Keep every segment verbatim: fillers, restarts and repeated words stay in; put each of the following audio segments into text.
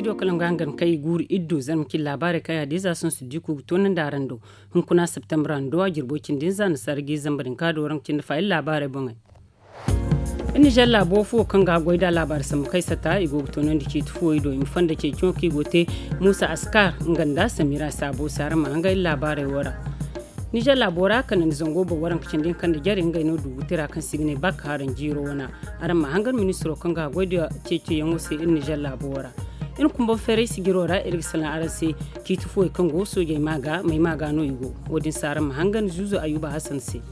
Diyo kala nga hangan kaŋ i guuru iddu zarma cine laabaarey kaŋ yaadin za sohõ si di ku ga toonandi araŋ do. Hunkuna septembre hando a jirbo cindi hinza na sarji zamba din ka do waranka cindi fa iri laabaarey boŋey. Iri nizer laabo fuwo kaŋ ga goy da laabaari sambu kaŋ i sata i go ga toonandi ciiti fuwo i do i ma fonda ceeciyaŋo kaŋ i go ga te. Muusa askar nga nda samira saabo se araŋ ma hanga iri laabaarey wo ra. Nizer laabo ra kanandi zango boŋ waranka cindi hinka nda jare ngey no dugu tira kaŋ se i ga ne bak haraŋ jiiro wana. Araŋ ma hangan ministiro kaŋ ga goy da ceeciyaŋo se iri nizer laabo wo ra. Iri kumbaŋ feeray sijiro ra iri ga salaŋ araŋ se. Ciiti fuwey kaŋ go soojey ma ga may ma ga no i go. Wo- din se araŋ ma hangan zuuzo ayuba hasan se.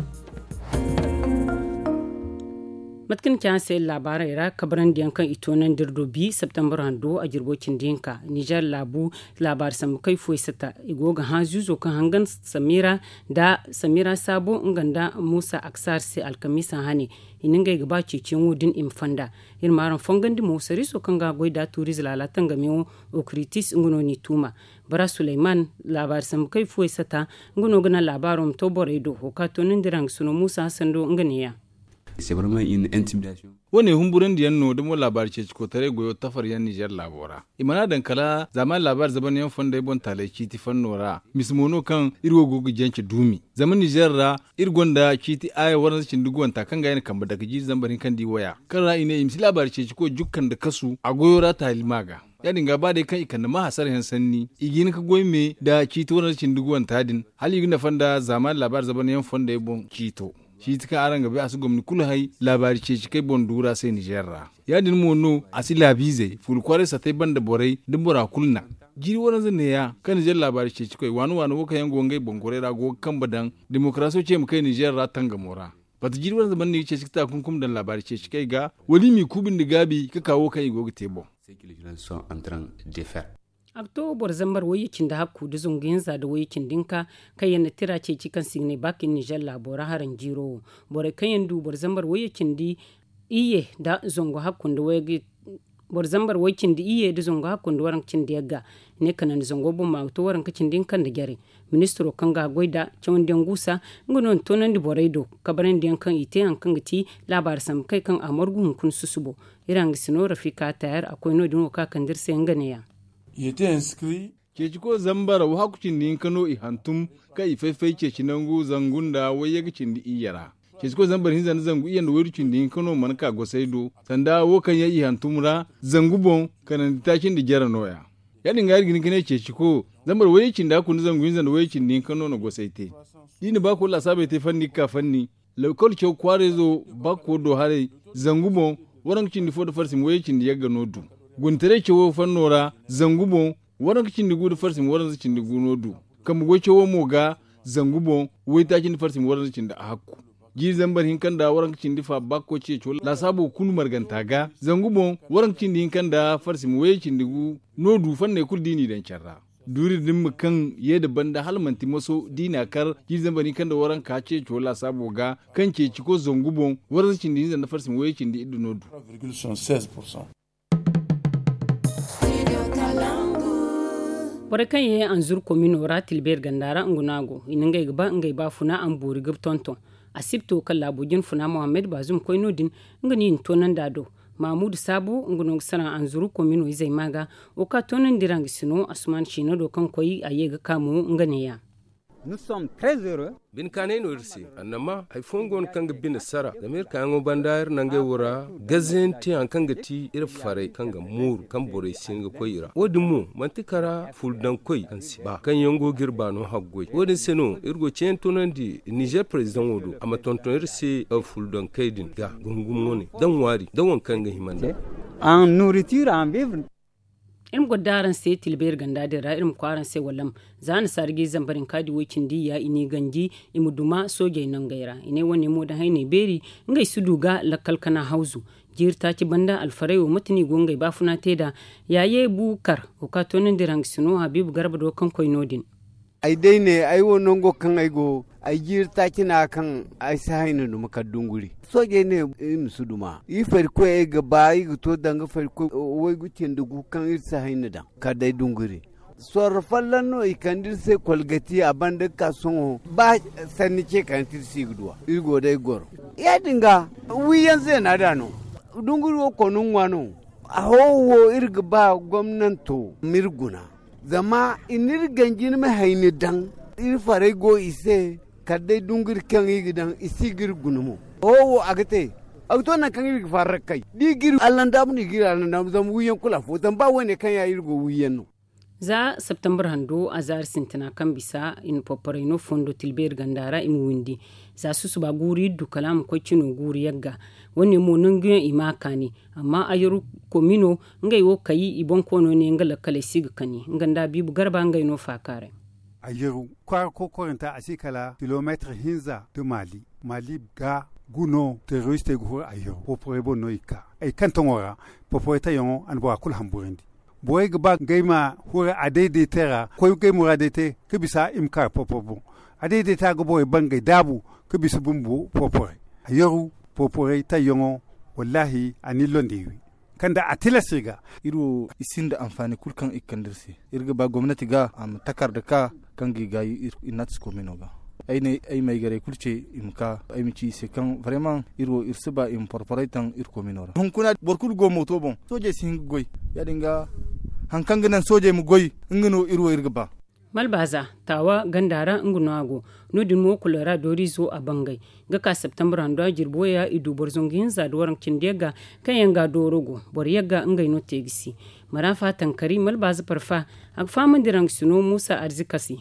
Mate kaŋ ni ci araŋ se iri laabaarey ra kabarandiyaŋ kaŋ i toonandi iri do bi septembre hando a jirbo cindi hinka nizer laabu laabaari sambu kaŋ i fuwey sata i go ga hã zuuzo kaŋ hangan samira nda samira saabo nga nda muusa aksar se alkamiisa hane. I na ngey ga ba ceeciyaŋo din i ma fonda. Iri ma araŋ fongandi mo sariiso kaŋ ga goy da tuuriize laala tangamyaŋo okritis nga no n'i tuuma. Bara suleyman laabaari sambu kaŋ i fuwey sata nga no ga naŋ laabaaro ma to borey do wo kaŋ a toonandi ra nga sino muusa hasan do nga neeya. Wo- ne humburandiyaŋ no da mo laabaari ceeci kootaray goyo tafaryaŋ nizer laabo ra. I mana daŋ kala zaamaani laabaari zabanyaŋ fondey boŋ taaley ciiti fanno ra. Mise mo no kaŋ iri wo go ga jance duumi zama nizer ra iri gonda ciiti aaya waranza cindi guwanta kaŋ ga ay na kambe dake jiiri zambar hinka nda i waya kaŋ ra i ne i ma si laabaari ceeci koy jukka nda kasu a goyo ra taali ma ga. Ya- din ga ba day kaŋ i kande ma hasarayaŋ sanni i ga hin ga goy me nda ciiti waranza cindi guwanta din hala i ga nafa nda zaamaani laabaari zabanyaŋ fondey boŋ ciito. Ciiti kaŋ araŋ ga bay a si gomni kulu hay laabaari ceeci kaŋ ay boŋ duura se nizer ra. Ya- din mo no a si laabiizey fuula kwaaray satey banda borey da bora kulu naŋ. Jiiri waranza neeya kaŋ nizer laabaari ceeci koy waani waani wo kaŋ yaŋ go ngey boŋ gorey ra go ga kambe daŋ. Demokarasiyo ce ma kay nizer ra tangamo ra. Bata jiiri waranza banda no i ga ceeci ga ta kunkum daŋ laabaari ceeci kay ga wala i m'i kuubi nda gaabi ga ka wo kaŋ i go ga te boŋ. A ga to boro zambar wayye cindi hakku nda zangu hinza nda wayye cindi hinka kaŋ yaŋ na tira ceeci kaŋ se i ga ne bakin nizer laabo ra haraŋ jiiro wo. Borey kaŋ yaŋ du boro zambar wayye cindi iyye nda zangu hakku nda wayye boro zambar way cindi iyye nda zangu hakku nda waranka cindi yagga. Ne kanandi zango boŋ ma ga to waranka cindi hinka nda jare. Ministiro kaŋ ga goy nda cawandiyaŋ guusa nga no na toonandi borey do kabarandiyaŋ kaŋ i te hari kaŋ ga ti laabaari sambu kay kaŋ a margu hunkuna susubo. Iri hanga si no rafika tayar a koy no- din wo kaŋ a kande iri se nga neeya. Ceeci koy zambar wahakku cindi hinka no i hantum kaŋ i fay-fay ceeci nangu zangu nda wayye ga cindi iyye ra. Ceeci koy zambar hinza nda zangu iyye nda waydu cindi hinka no mana ka gosay do sanda wo kaŋ yaŋ i hantum ra zangu boŋ kanandi taaci nda jare no- ya. Ya- din ga iri ga hin ga ne ceeci koy zambar wayye cindi hakku nda zangu hinza nda wayye cindi hinka no na gosay te. Da i na baako laasaabey te fanni ga ka fanni. Lakkol caw kwaarayzo bakko do haray zangu boŋ waranka cindi fo nda farsi ma wayye cindi yagga no du. Guntaray cawo fanno ra zangu boŋ waranka cindi gu nda farsi ma waranza cindi gu no du. Kambe goy cawo mo ga zangu boŋ waytaaci nda farsi ma waranza cindi ahakku. Jiiri zambar hinka nda waranka cindi fa bakko ceeco laasaabo kulu marganta ga zangu boŋ waranka cindi hinka nda farsi ma wayye cindi gu no du fanney kulu da i n'i daŋ care ra. Duuri din ma kaŋ ye nda banda hala manti moso da i n'a kar jiiri zambar hinka nda waranka ceeco laasaabo ga kaŋ ceeci koy zangu boŋ waranza cindi hinza nda farsi ma wayye cindi iddu no du. Borey kaŋ ye anzuru komino ra tilbeeri ganda ra nga no a go i na ngey ga ba ngey baafuna a ma boori ga tonton. Asibto kaŋ laabo jinfuna mohammed baazum koy no- din nga no i na toonandi a do. Maamudu saabo nga no ga sara anzuru komino izey ma ga wo kaŋ a toonandi ra nga si no asuman siino do kaŋ koy a ye ga ka mo nga neeya. Binkaanay no iri se annama hari fooyaŋ go no kaŋ ga bine sara zama iri kaayaŋo banda iri nangey wo ra gazayaŋ te hari kaŋ ga ti iri farey kaŋ ga mooru kaŋ borey si hin ga koy i ra wo- din mo manti kara fuldaŋkoy kaŋ si ba kaŋ yaŋ go ga iri baano haggoy wo- din se no iri go ga ceeyaŋ toonandi nizer parezidaŋo do a ma tonton iri se fuldaŋkey din ga gungum wane da ŋwaari da waŋ kaŋ ga hima nd'a. Iri ma goro da araŋ se tilbeeri ganda din ra iri ma koy araŋ se wallam. Za nasaara ga i zambar hinka di woy cindi iyya i n'i ganji i ma duma soojey nangey ra i ne wane mo da hayney beeri ngey si du ga lakkal kana hawzu. Jiiri taaci banda alfaray wo mate no i go ngey baafuna te nd'a. Yaaye bukar wo kaŋ a toonandi ra nga si no habiibu garba do kaŋ koy no- din. Ay day ne ay wo nango kaŋ ay go ay jiiri taaci no a kaŋ ay si hayna duma kala dunguri. Soojey ne iri ma si duma iri farikoy ay ga ba iri ga to danga farikoy waygu cindi gu kaŋ iri si hayna daŋ kala day dunguri. Sorro folloŋ no i kande iri se kolgati a banda ga ka sohõ ba sanni ce kaŋ ti iri si ga duw'a iri go day goro. Ya- din ga wiyaŋ zeena da no. Dunguri wo konu ŋwa no. A hoowo iri ga ba gomnanto ma iri guna, zama i n'iri ganji ni ma hayni daŋ. Iri farey go i se, kala day dunguri kaŋ i ga daŋ i si g'iri guna mo. Hoowo a ga te, a ga to nangu kaŋ iri ga farrakay da i g'iri allandaabu no i g'iri allandaabu zama wiiyaŋ kulu afo zama ba wo- ne kaŋ ya iri go wiiyaŋ no. Za septembre hando a zaari sintina kaŋ bisa i na porporey no fondo tilbeeri ganda ra i ma windi. Za susuba guuru iddu kala a ma koy cino guuru yagga. Wo- ne mo nangu yaŋ i ma a kaani. Amma ayaru komino ngey wo kay i boŋ koono ne nga lakkaley si ga kani nga nda biibu garba ngey no faakaaray. Ayaru kwaara kokoranta a si kala kilomeetir hinza nda maali. Maali ga guno teroristey ga huru ayaru porporey boŋ no i ga ka ay kaŋ taŋo ra. Porporey tayyaŋo a na bora kulu hamburandi. Borey ga ba ngey ma huru a dayday te ra koy ngey muraadey te ka bisa i ma ka porpor boŋ. A dayday te a ga borey bangey daabu ka bisa bumbo porporey. Ayaru porporey tayyaŋo wallaahi a na iri londe wi kaŋ da a tilas iri ga. Iri wo i sinda anfaani kulu kaŋ i ga kande iri se. Iri ga ba gomnati ga a ma takarda ka kaŋ ga i gaayi iri natis komino ga. Ay ne ay ma ay garey kulu ce i ma ka ay ma ci i se kaŋ varemaŋ iri wo iri si ba i ma porporey taŋ iri komino ra hunkuna boro kulu go mooto boŋ soojey si hin ga goy. Ya- din ga hari kaŋ ga naŋ soojey ma goy nga no iri wo iri ga ba. Malbaza taawa ganda ra nga no a go. No- din mo kulora dooriizo a bangay ga ka septembre hando a jirbi waya i du boro zangu hinza nda waranka cindi yagga kaŋ yaŋ ga dooro go boro yagga ngey no te ga si. Marafa tankari malbaza parfa a ga fahamandi raŋ ga sino muusa arzika se.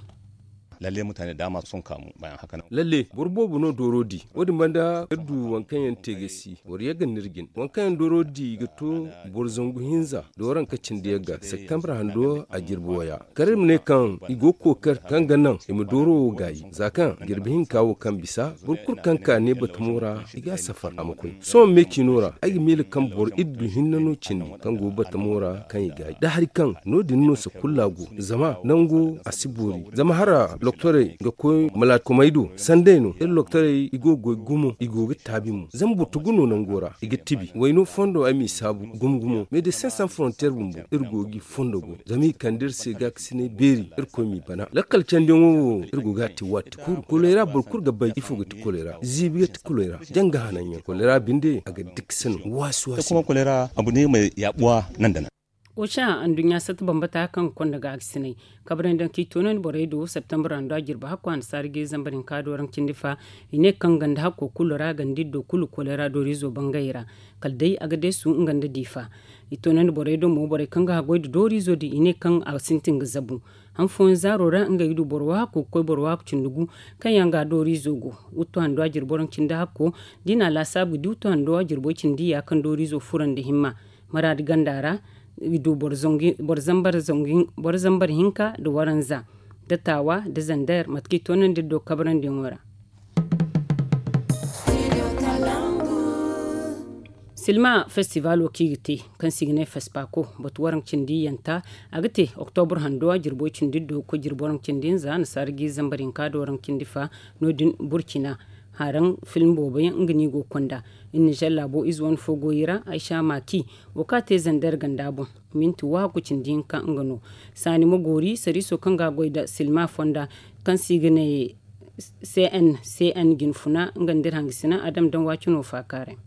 Lalle mutane da dama sun kamu bayan haka nan. Lalle boro boobo no dooro di wo- din banda iri du waŋ kaŋ yaŋ te ga si boro yagga no iri jin waŋ kaŋ yaŋ dooro di ga to boro zangu hinza nda waranka cindi yagga septembre hando a jirbi waya. Kala iri ma ne kaŋ i go ga kookari kaŋ ga naŋ i ma dooro wo gaayi za kaŋ jirbi hinka wo kaŋ bisa boro kulu kaŋ ka ne batamo ra i ga a safar a ma koy. Sohõ me ciino ra ay ga miila kaŋ boro iddu hinne no cindi kaŋ go batamo ra kaŋ i gaayi da hari kaŋ no- din no sakulla go zama nango a si boori zama hara loktorey ga koy malaakomey do sanday no iri loktorey i go ga goy gumo i go ga taabi mo zama boro tugu no nango ra i ga tibi wayno fondo ay m'i saabu gumo gumo mais de cinq cents frontières bumbo iri go ga i fondo go zama i kande iri se gaakasinay beeri irkoy m'i bana lakkal candiyaŋo wo iri go ga a te waati kulu kolera boro kulu ga bay ifo ga ti kolera ziibi ga ti kolera janga hananyaŋ kolera binde a ga dikse no waasi waasi. Kuma kolera abu ne mai yabuwa nan da nan. Oca anduɲɲa satta bambata kaŋ ga konda gaakasinay kabrandi daŋ kaŋ i toonandi borey do septembre hando a jirbi hakko annasaara ga i zambar hinka do raŋ cindi fa i ne kaŋ ganda hakko kulu ra ganda iddo kulu kolera dooriizo bangayey ra kala day a ga deesu nga nda diifa. I toonandi borey do mo borey kaŋ ga haggoy nda dooriizo din i ne kaŋ a sintin ga zabu han fooyaŋ zaaro ra ngey ga du boro waako ga koy boro waako cindi gu kaŋ yaŋ ga dooriizo go. Wuttu hando a jirbo raŋ cindi hakko da i na a laasaabu ga di wuttu hando a jirbo cindi ya kaŋ dooriizo furandi himma maraadi ganda ra i du boro zambar hinka nda waranza nda taawa nda zander mate kaŋ i toonandi iri do kabarandiyaŋo ra. Silma festival wo kaŋ i ga te kaŋ se i ga ne fespako batu waranka cindi yanta a ga te oktobur hando a jirbo cindi do ga koy jirbo waranka cindi hinza nasaara ga i zambar hinka da waranka cindi fa. No- din burkina haraŋ film boobo yaŋ nga no i go ga konda. Iri nizer laabo ize wane fo go i ra aysa maki wo kaŋ a te zander ganda boŋ minti wahakku cindi hinka nga no. Saani ma goori sariiso kaŋ ga a goy nda silma fonda kaŋ se i ga ne cn cn jinfuna nga nda iri hangasina a dam daŋ waati no faakaaray.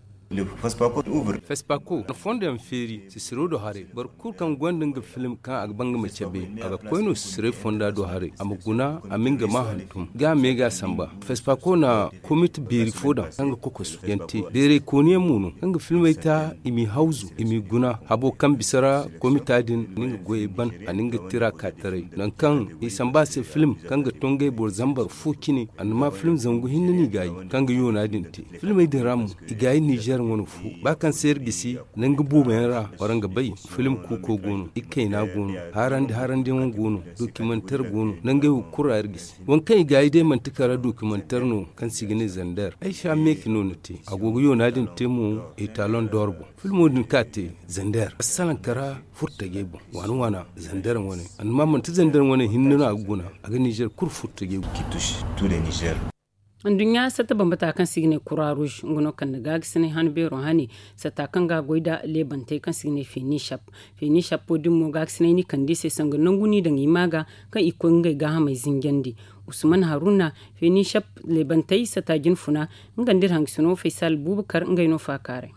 Fespako na fondo yaŋ feeri sisiro do haray boro kulu kaŋ gonda nga film kaŋ a ga ba nga ma cabe a ga koy no sisiray fonda do haray a ma guna a ma nga ma hantum ga a me ga a samba. Fespako na komite beeri fo daŋ kaŋ ga kokosu yaŋ te beeray kooni yaŋ mo no kaŋ ga filmey ta i m'i hawzu i m'i guna habo kaŋ bisa ra komita din na nga goyey ban a na nga tira ka taray nangu kaŋ i samba a se film kaŋ ga to ngey boro zambar fo cine a na ma film zangu hinne no i gaayi kaŋ ga yoona din te. Filmey din ra mo i gaayi nizer wane fo ba kaŋ se iri gisi nangu boobo yaŋ ra wara nga bay film kuuko go no ikayna go no harandi harandiyaŋo go no dokimanter go no nangey wo kulu ra iri gisi waŋ kaŋ i gaayi day manti kala dokimanter no kaŋ se i ga ne zander ay sha meeki no ni te a go ga yoona din te mo etalon dor boŋ. Filmo din kaŋ a te zander a salaŋ kara furtajey boŋ waana waana zander wane amma manti zander wane hinne no a ga guna a ga nizer kulu furtajey boŋ. Anduɲɲa satta bambata kaŋ se i ga ne kura ruuz nga no kande gaagasinay han beero hane satta kaŋ ga a goy nda leebantey kaŋ se i ga ne feni shap. Feni shappo din mo gaagasinay no i kande i se sanga nangu no i daŋ i ma ga kaŋ i koy ga ngey gaahamey zinjandi. Usman haruna feni shap leebantey satta jinfuna nga nda iri hangasino faysal buubakar ngey no faakaaray.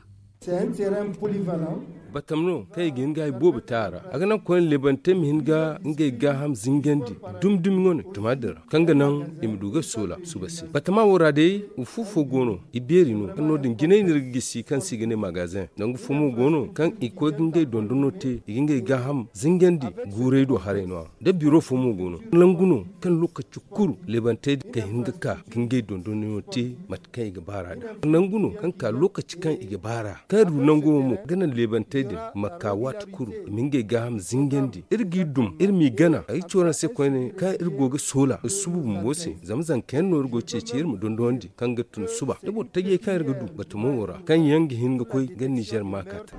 Batama no kaŋ i ga hin ga hari boobo te a ra. A ga naŋ koyne leebantey ma hin ga ngey gaaham zingandi dumi dumi wane tuma din ra, kaŋ ga naŋ i ma du ga soola suba se. Batama wo ra day, fu fo go no, i beeri no kaŋ no- din jinay no iri ga gisi kaŋ se i ga ne magazen. Nangu fo mo go no kaŋ i ga koy ga ngey dondono te, i ga ngey gaaham zingandi guurey do haray no- ya. Da biro fo mo go no, nangu no kaŋ lokaci kulu leebantey din ga hin ga ka ga ngey dondonyaŋo te mate kaŋ i ga baar'a nd'a. Nangu no kaŋ ka lokaci kaŋ i ga baar'a kaŋ iri du nango wo mo ga naŋ leebantey din ma ka waati kulu i ma ngey gaaham zingandi. Iri g'i dum, iri m'i gana ay ga ci waraŋ se koyne kaŋ iri go ga soola iri suba bumbo se. Zama zanka yaŋ no iri go ga ceeci iri ma dondonandi kaŋ ga tun suba da boro tajey kaŋ iri ga du batamo wo ra kaŋ yaŋ ga hin ga koy ga nizer maakata.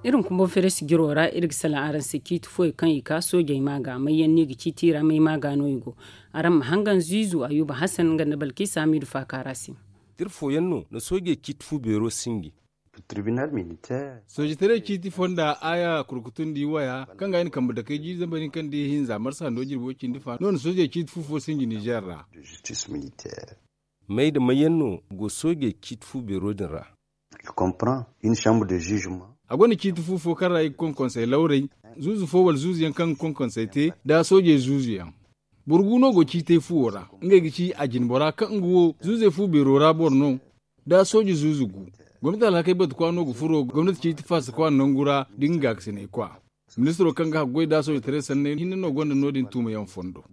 Iri hunkuna boŋ feere sijiro ra iri ga salaŋ araŋ se ciiti fooyaŋ kaŋ i ka soojey ma ga may yaŋ no i ga ciiti i ra may ma ga no i go. Araŋ ma hangan ziizu ayuba hasan nga nda balkiisa hamiidu faaka ra se. Iri fooyaŋ no na soojey ciiti fu beero sinji. Tribunal militaire. Soojitaray ciiti fonda aya kurkutundi waya kaŋ ga ay na kambe dakey jiiri zambar hinka nda ihinza marsa hando jirbi way cindi fa no na soojey ciiti fu fo sinji nizer ra. May nda may yaŋ no go soojey ciiti fu beero din ra? A gonda ciiti fu fo kaŋ ra i ga konkonsey lawrey, zuuzu fo wala zuuzu yaŋ kaŋ ga konkonsey te nda soojey zuuzu yaŋ. Boro gu no go ciitey fuwo ra, ngey ga ci a jinbora kaŋ nga wo zuuzey fu beero ra boro no. Da sooje zuuzu gu, gomnati alhakey batu kwa no ga furo gomnati ciiti faasa kwa nangu ra da nga gaakasiney kwa. Ministiro kaŋ ga haggoy da soojetaray sanney hinne no gonda no- din tuumayaŋ fondo.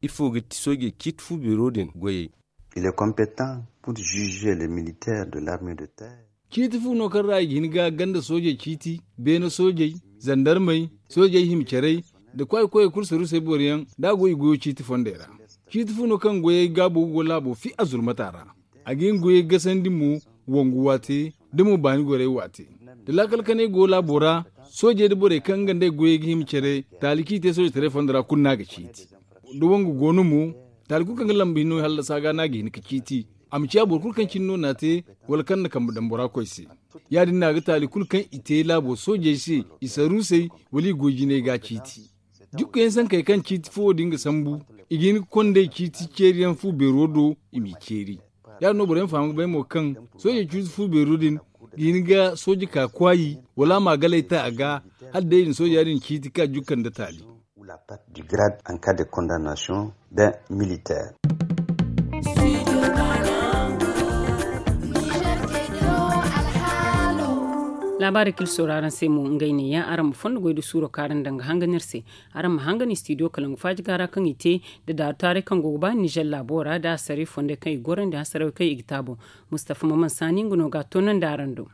Ifo ga ti soojey ciiti fu beero din goyey? Il est compétent pour juger les militaires de l'armée de terre. Ciiti fu no kaŋ ra i ga hin ga ganda soojey ciiti, beene soojey, zandarmey, soojey hima carey, nda kwaayi koyey kulu saruusey boroyaŋ da a go i goyo ciiti fondey ra. Ciiti fu no kaŋ goyey gaabo ga go laabo fi a zulmata ra. A ga hin goyey gasandi mo, wangu waate, da mo baani gorey waate. Da laakal kanay go laabo ra, soojey nda borey kaŋ nga nd'ey goyey ga hima care, taali kaŋ i te soojetaray fondo ra kulu no a ga ciiti. Da wangu go no mo, taali kulu kaŋ ga lamba hinno hallasa ga no a ga hin ga ciiti. A ma ciya boro kulu kaŋ cine no n'a te, wala kaŋ na kambe daŋ bora koy se. Ya- din no a ga taali kulu kaŋ i te laabo soojey se, i saruusey, wala i goy jinay ga ciiti. Jikkuyaŋ sankey kaŋ ciiti fuwo din ga sambu, i ga hin ga kondey ciiti ceeriyaŋ fu beero do, i m'i ceeri. Ya- din no boroyaŋ faham ga bay mo kaŋ soojey ciiti fu beero din ga hin ga sooje ka kwaayi, wala a ma galay ta a ga, hala day i na sooja din ciiti ka jukka nda taali. Du grade en cas de condamnation d'un militaire. Laabaari kaŋ iri sooru araŋ se mo ngey neeya, araŋ ma fondo goy da suuro kaŋ araŋ daŋ ga hangan iri se. Araŋ ma hangan studio kalangu faaji gaara kaŋ i te, da daaru taaray kaŋ go ga ba nizer laabo ra da asaray fondey kaŋ i gorandi asaray kaŋ i ga te a boŋ. Mustafa maman saani nga no ga a toonandi araŋ do.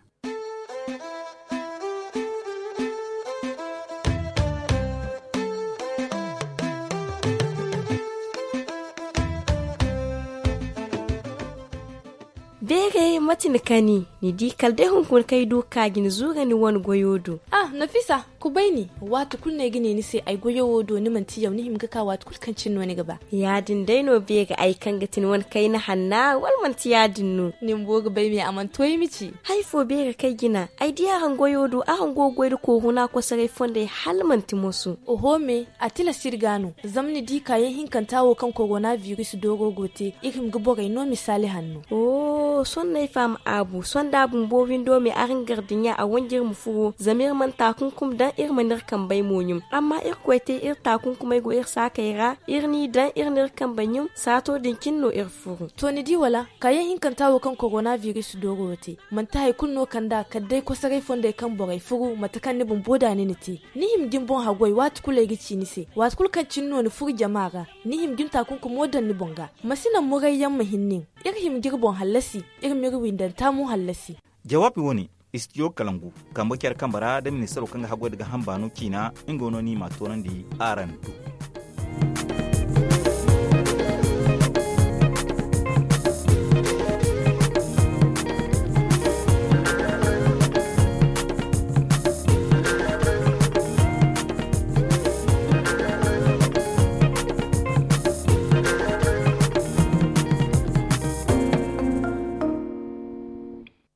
Beeray mate ni kani? Ni di kala day hunkuna kaŋ ay du ga ka ga ni zuura ni wane goyo do. Ah, nafisa, kubay ni. Waati kulu no ay ga ne ni se ay goyo wo do ni manti yaw ni hima ga ka waati kulu kaŋ cine no ni ga ba. Ya- din day no beeri ay kaŋ ga ti ni wane kayna hanna wala manti ya- din no? Ni bumbo ga bay me a mana to ay ma ci. Hari fo beeri kaŋ ay jina ay di araŋ goyo do araŋ go ga goy nda kooruna kosoray fondey hala manti moso. Oho me, a tilas iri ga no. Zama ni di kaayaŋ hinkanta wo kaŋ korona biris dooro go te, iri hima ga borey no misaali hanno. Oho, sohõ no ay faham aabu. Sohõ da bumbo windo me araŋ gardiɲa a wanji iri ma furo zama iri mana taakunkum daŋ iri mana iri kambey mo ɲum. Amma irkoy te iri taakunkumey go iri saakey ra, iri n'i daŋ iri n'iri kambey ɲum saato din cine no iri furu. To ni di wala? Kaayaŋ hinkanta wo kaŋ korona biris dooro te, manti hari kulu no kand'a kala day kosoray fondey kaŋ borey furu mate kaŋ ni bumbo da ni na te. Ni hima ga ni boŋ haggoy waati kulu ay ga ci ni se waati kulu kaŋ cine no ni furu jama ra. Ni hima ga ni taakunkumo daŋ ni boŋ ga. Ma si naŋ murayyaŋ ma hin nin. Iri hima ga iri boŋ hallasi, iri m'iri windanta mo hallasi. Jawaabi wo-ne, studio kalangu kambe care kambe ra da ministaro kaŋ ga haggoy nda gaaham baano ciina nga no ni m'a toonandi araŋ do.